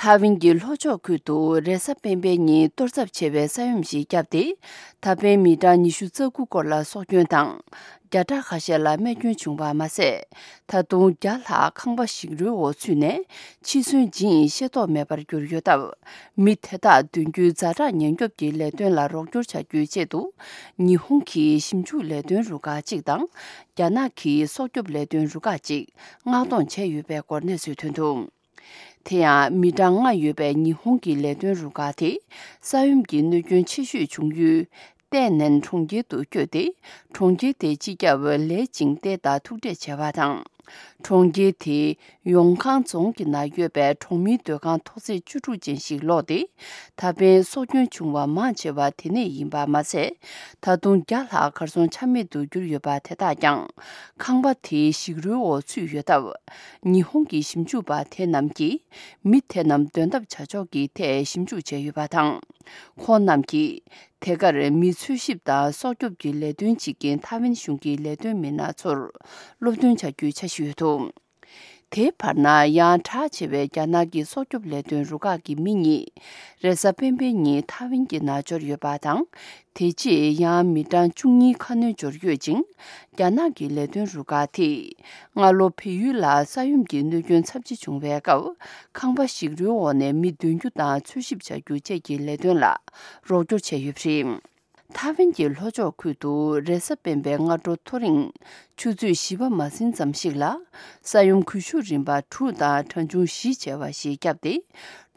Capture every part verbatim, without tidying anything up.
ཐའེ་ཝན་གྱི་ལྷོ་ཕྱོགས་ཁུལ་དུ་རེས་གཟའ་སྤེན་པའི་ཉིན་གཏོར་ཚབས་ཆེ་བའི་ས་ཡོམ་ཞིག་བརྒྱབ་སྟེ། ད་ཕན་མི་གྲངས་ཉི་ཤུ་རྩ་དགུ་སྐོར་ལ་སྲོག་སྐྱོན་དང་། བརྒྱ་ཕྲག་ཁ་ཤས་ལ་རྨས་སྐྱོན་བྱུང་བ་མ་ཟད། ད་དུང་བརྒྱ་ལྷག་ཁང་པ་ཞིག་རོའི་འོག་ཚུད་ནས་འཆི་གསོན་ཇི་ཡིན་ཤེས་རྟོགས་མེད་པར་གྱུར་ཡོད་སྟབས། མི་དེ་དག་དོན་རྒྱུའི་ཛ་དྲག་ཉེན་སྐྱོབ་ཀྱི་ལས་དོན་ལ་རོགས་སྐྱོར་བྱ་རྒྱུའི་ཆེད་དུ། ཉི་ཧོང་གི་ཞིབ་འཇུག་ལས་དོན་རུ་ཁག་ཅིག་དང་། རྒྱ་ནག་གི་སྲོག་སྐྱོབ་ལས་དོན་རུ་ཁག་ཅིག་མངགས་གཏོང་བྱས་ཡོད་པའི་སྐོར་གནས་ཚུལ་ཐོན་འདུག་དེ་ཡང་མི་གྲངས་ལྔ་ཡོད་པའི་ཉི་ཧོང་གི་ལས་དོན་རུ་ཁག་དེ་ས་ཡོམ་གྱི་གནོད་སྐྱོན་ཆེ་ཤོས་བྱུང་ཡུལ་ཏན་ནན་གྲོང་ཁྱེར་དུ་བསྐྱོད་དེ། གྲོང་ཁྱེར་དེའི་སྤྱི་ཁྱབ་ལེ་ཅིང་ཏེ་དང་ཐུག་འཕྲད་བྱས་པ་དང་། གྲོང་ཁྱེར་དེའི་ཡོང་ཁང་རྫོང་གི་ནང་ཡོད་པའི་གྲོང་མིའི་སྡོད་ཁང་ཐོག་བརྩེགས་བཅུ་དྲུག་ཅན་ཞིག་སློག་སྟེ། ད་ཕན་སྲོག་སྐྱོན་བྱུང་བ་མང་ཆེ་བ་དེ་ནས་ཡིན་པ་མ་ཟད། ད་དུང་བརྒྱ་ལྷག་གར་སོང་ཆ་མེད་དུ་གྱུར་ཡོད་པ་དེ་དག་ཀྱང་ཁང་པ་དེའི་ཞིག་རོའི་འོག་ཚུད་ཡོད་སྟབས། ཉི་ཧོང་གི་ཞིབ་འཇུག་པ་དེ་རྣམས་ཀྱིས་མི་དེ་རྣམས་འདོན་ཐབས་བྱ་ཕྱོགས་ཀྱི་ཐད་ཞིབ་འཇུག་བྱས་ཡོད་པ་དང་། ཁོང་རྣམས་ཀྱིས་དེ་གར་མི་འཚོལ་ཞིབ་དང་སྲོག་སྐྱོབ་ཀྱི་ལས་དོན་བྱེད་མཁན་ཐའེ་ཝན་གཞུང་གི་ལས་དོན་མི་སྣ་ཚོར་སློབ་སྟོན་བྱ་རྒྱུའི་འཆར་གཞི་ཡོད་འདུག་དེའི་བར་ན་ཡང་གྲགས་ཆེ་བའི་རྒྱ་ནག་གི་སྲོག་སྐྱོབ་ལས་དོན་རུ་ཁག་གི་མི་གཉིས་རེས་གཟའ་སྤེན་པའི་ཉིན་ཐའེ་ཝན་གྱི་ནང་འབྱོར་ཡོད་པ་དང་། དེ་རྗེས་ཡང་མི་གྲངས་བཅུ་གཉིས་ཁ་སྣོན་འབྱོར་ཡོད་ཅིང་། རྒྱ་ནག་གི་ལས་དོན་རུ་ཁག་དེས་སྔ་ལོ་བལ་ཡུལ་ལ་ས་ཡོམ་གྱི་གནོད་སྐྱོན་ཚབས་ཆེ་བྱུང་བའི་སྐབས། ཁང་པ་ཞིག་རོའི་འོག་ནས་མི་འདོན་རྒྱུ་དང་འཚོལ་ཞིབ་བྱ་རྒྱུ་བཅས་ཀྱི་ལས་དོན་ལ་རོགས་སྐྱོར་བྱས་ཡོད་པ་རེད། ཐའེ་ཝན་གྱི་ལྷོ་ཕྱོགས་ཁུལ་དུ་རེས་གཟའ་སྤེན་པའི་སྔ་དྲོ་ཐོ་རེངས་ཆུ་ཚོད་བཞི་པ་མ་ཟིན་ཙམ་ཞིག་ལ། ས་ཡོམ་གུ་ཤུ་རིམ་པ་དྲུག་དང་གྲངས་ཆུང་བཞི་བྱས་པ་ཞིག་བརྒྱབ་སྟེ།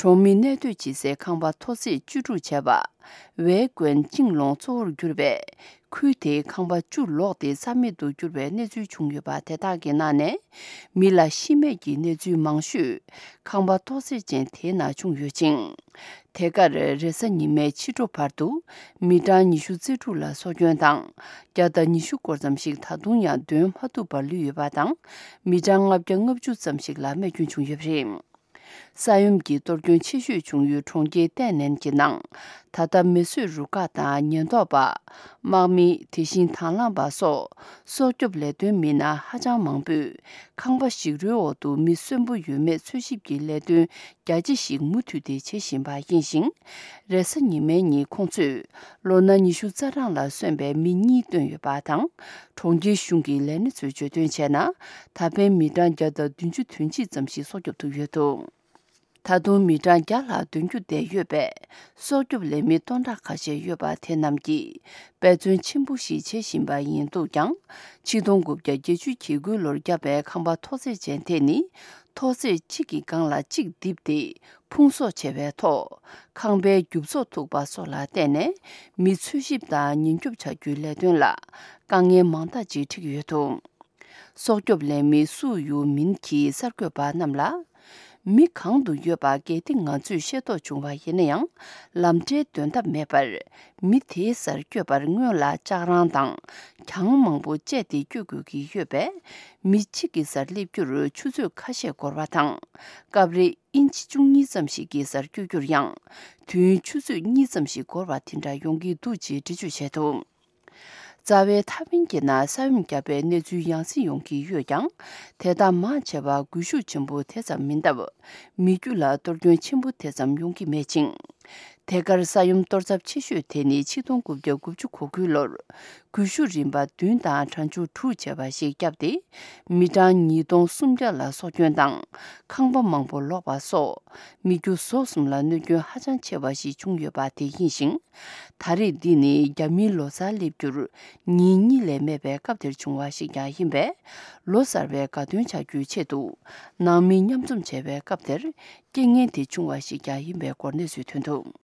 གྲོང་མི་གནས་སྡོད་བྱེད་སའི་ཁང་པ་ཐོག་བརྩེགས་བཅུ་དྲུག་བྱས་པ། ཝེ་ཀོན་ཅིང་ལོང་གཙོ་བོར་གྱུར་པའི་ཁུལ་དེའི་ཁང་པ་བཅུ་ལོག་སྟེ་རྩ་མེད་དུ་གྱུར་བའི་གནས་ཚུལ་བྱུང་ཡོད་པ་དེ་དག་གི་ནང་ནས། མི་ལ་ཤི་རྨས་ཀྱི་གནས་ཚུལ་མང་ཤོས་ཁང་པ་ཐོག་བརྩེགས་ཅན་དེའི་ནང་བྱུང་ཡོད་ཅིང་། དེ་གར་རེས་གཟའ་ཉི་མའི་ཕྱི་དྲོ་བར་དུ་མི་གྲངས་ཉི་ཤུ་རྩ་དྲུག་ལ་སྲོག་སྐྱོན་དང་། བརྒྱ་དང་ཉི་ཤུ་སྐོར་ཙམ་ཞིག་ད་དུང་ཡང་འདོན་མ་ཐུབ་པར་ལུས་ཡོད་པ་དང་། མི་གྲངས་ལྔ་བརྒྱ་ལྔ་བཅུ་ཙམ་ཞིག་ལ་རྨས་སྐྱོན་བྱུང་ཡོད་པ་རེད། ས་ཡོམ་གྱི་གཏོར་སྐྱོན་ཆེ་ཤོས་བྱུང་ཡུལ་གྲོང་ཁྱེར་ཏན་ནན་གྱི་ནང་། ད་ལྟ་མེ་གསོད་རུ་ཁག་དང་ཉེན་རྟོག་པ། དམག་མི། དེ་བཞིན་དང་བླངས་པ་སོགས་སྲོག་སྐྱོབ་ལས་དོན་མི་སྣ་ཧ་ཅང་མང་པོས་ཁང་པ་ཞིག་རོའི་འོག་ཏུ་མི་གསོན་པོ་ཡོད་མེད་འཚོལ་ཞིབ་ཀྱི་ལས་དོན་རྒྱ་ཆེ་ཞིག་མུ་མཐུད་དེ་བྱེད་བཞིན་པ་ཡིན་ཞིང་། རེས་གཟའ་ཉི་མའི་ཉིན་ཁོང་ཚོས་ལོ་ན་ཉི་ཤུ་རྩ་གྲངས་ལ་སོན་པའི་མི་གཉིས་བཏོན་ཡོད་པ་དང་། གྲོང་ཁྱེར་གཞུང་གི་ལས་སྣེ་ཚོས་བརྗོད་དོན་བྱས་ན། ད་ཕན་མི་གྲངས་བརྒྱ་དང་བདུན་ཅུ་དོན་གཅིག་ཙམ་ཞིག་སྲོག་སྐྱོབ་ཐུབ་ཡོད་འདུག་ད་དུང་མི་གྲངས་བརྒྱ་ལྷག་འདོན་རྒྱུ་བསྡད་ཡོད་པས། སྲོག་སྐྱོབ་ལས་མི་སྟོང་ཕྲག་ཁ་ཤས་ཡོད་པ་དེ་རྣམས་ཀྱིས་འབད་བརྩོན་ཆེན་པོ་ཞིག་བྱེད་བཞིན་པ་ཡིན་འདུག་ཀྱང་། ཆིག་སྟོང་དགུ་བརྒྱ་བརྒྱད་ཅུ་གྱ་དགུའི་ལོར་བརྒྱབ་པའི་ཁང་པ་ཐོག་བརྩེགས་ཅན་དེ་ནི། ཐོག་བརྩེགས་གཅིག་གི་སྒང་ལ་གཅིག་བརྡིབས་ཏེ། ཕུང་གསོག་བྱས་པའི་ཐོག་ཁང་པའི་རྒྱུ་ཚོགས་ཐུག་པ་སོགས་ལ་བརྟེན་ནས། མི་འཚོལ་ཞིབ་དང་ཉེན་སྐྱོབ་བྱ་རྒྱུའི་ལས་དོན་ལ་དཀའ་ངལ་མང་དག་ཅིག་འཕྲད་ཀྱི་ཡོད་འདུག་སྲོག་སྐྱོབ་ལས་མི་སུའུ་ཡུ་མིན་གྱིས་གསར་འགོད་པ་རྣམས་ལ། མི་གང་དུ་ཡོད་པ་གལ་ཏེ་ང་ཚོས་ཤེས་རྟོགས་བྱུང་བ་ཡིན་ན་ཡང་། ལམ་འབྲས་འདོན་ཐབས་མེད་པར། མི་དེའི་སར་བསྐྱོད་པར་སྔོན་ལ་ལྕགས་རང་དང་གྱང་མང་པོ་བཅད་དེ་བསྐྱོད་དགོས་ཀྱི་ཡོད་པས། མི་གཅིག་གི་སར་སླེབས་རྒྱུར་ཆུ་ཚོད་ཁ་ཤས་འགོར་བ་དང་། སྐབས་རེ་ཨིན་ཅི་བཅུ་གཉིས་ཙམ་ཞིག་གི་སར་བསྐྱོད་རྒྱུར་ཡང་། དུས་ཡུན་ཆུ་ཚོད་གཉིས་ཙམ་ཞིག་འགོར་བ་དེ་འདྲ་ཡོང་གི་འདུག་ཅེས་འགྲེལ་བརྗོད་བྱས་འདུག་རྩ་བའི་ཐའེ་ཝན་གྱི་ནང་ས་ཡོམ་བརྒྱབ་པའི་གནས་ཚུལ་ཡང་སེ་ཡོང་གི་ཡོད་ཀྱང་། དེ་དག་མང་ཆེ་བ་སྒུལ་ཤུགས་ཆེན་པོ་དེ་ཙམ་མིན་སྟབས། མི་རྒྱུ་ལ་གཏོར་སྐྱོན་ཆེན་པོ་དེ་ཙམ་ཡོང་གི་མེད་ཅིང་། དེ་གར་ས་ཡོམ་གཏོར་ཚབས་ཆེ་ཤོས་དེ་ནི་ཆིག་སྟོང་དགུ་བརྒྱ་དགུ་བཅུ་གོ་དགུའི་ལོར། སྒུལ་ཤུགས་རིམ་པ་བདུན་དང་གྲངས་ཆུང་དྲུག་བྱས་པ་ཞིག་བརྒྱབ་སྟེ། མི་གྲངས་ཉིས་སྟོང་སུམ་བརྒྱ་ལ་སྲོག་སྐྱོན་དང་། ཁང་པ་མང་པོ་ལོག་པ་སོགས། མི་རྒྱུ་ཟོག་གསུམ་ལ་གནོད་སྐྱོན་ཧ་ཅང་ཆེ་བ་ཞིག་བྱུང་ཡོད་པ་དེ་ཡིན་ཞིང་། ད་རེས་འདི་ནི་རྒྱ་མིའི་ལོ་གསར་སླེབས་རྒྱུར་ཉིན་གཉིས་ལས་མེད་པའི་སྐབས་དེར་བྱུང་བ་ཞིག་ཀྱང་ཡིན་པས། ལོ་གསར་བའི་དགའ་སྟོན་བྱ་རྒྱུའི་ཆེད་དུ་ནང་མི་མཉམ་འཛོམས་བྱས་པའི་སྐབས་དེར་རྐྱེན་ངན་དེ་བྱུང་བ་ཞིག་ཀྱང་ཡིན་པའི་སྐོར་གནས་ཚུལ་ཐོན་འདུག